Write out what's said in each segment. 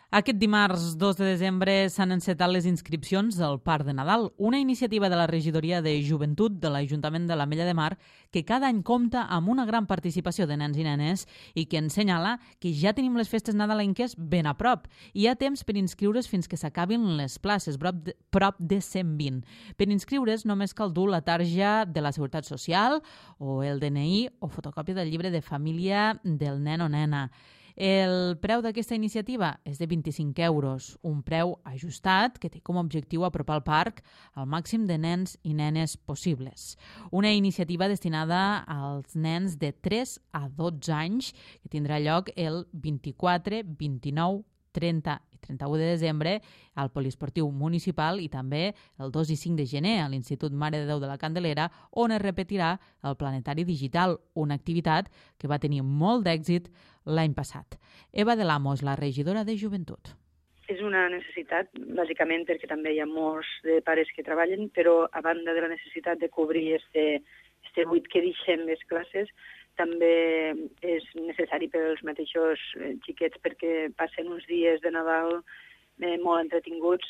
Aquest dimarts 2 de desembre s'han encetat les inscripcions del Parc de Nadal, una iniciativa de la Regidoria de Joventut de l'Ajuntament de l'Ametlla de Mar que cada any compta amb una gran participació de nens i nenes i que ens senyala que ja tenim les festes nadalenques ben a prop. Hi ha temps per inscriure's fins que s'acabin les places, prop de 120. Per inscriure's només cal dur la tarja de la Seguretat Social o el DNI o fotocòpia del llibre de família del nen o nena. El preu d'aquesta iniciativa és de 25 euros, un preu ajustat que té com a objectiu apropar el parc al màxim de nens i nenes possibles. Una iniciativa destinada als nens de 3 a 12 anys que tindrà lloc el 24, 29, 30 i 31 de desembre al Poliesportiu Municipal i també el 2 i 5 de gener a l'Institut Mare de Déu de la Candelera, on es repetirà el Planetari Digital, una activitat que va tenir molt d'èxit l'any passat. Eva de Lamos, la regidora de Joventut. És una necessitat, bàsicament perquè també hi ha molts de pares que treballen, però a banda de la necessitat de cobrir este buit que deixem les classes, també és necessari per als mateixos xiquets perquè passen uns dies de Nadal molt entretinguts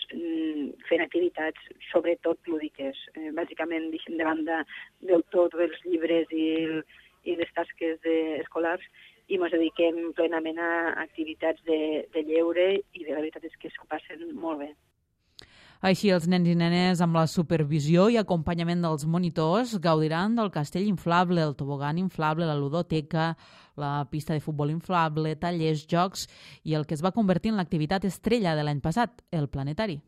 fent activitats, sobretot lúdiques. Bàsicament deixem de banda del tot els llibres i les tasques escolars i ens dediquem plenament a activitats de lleure i la veritat és que s'ho passen molt bé. Així, els nens i nenes, amb la supervisió i acompanyament dels monitors, gaudiran del castell inflable, el tobogan inflable, la ludoteca, la pista de futbol inflable, tallers, jocs i el que es va convertir en l'activitat estrella de l'any passat, el planetari.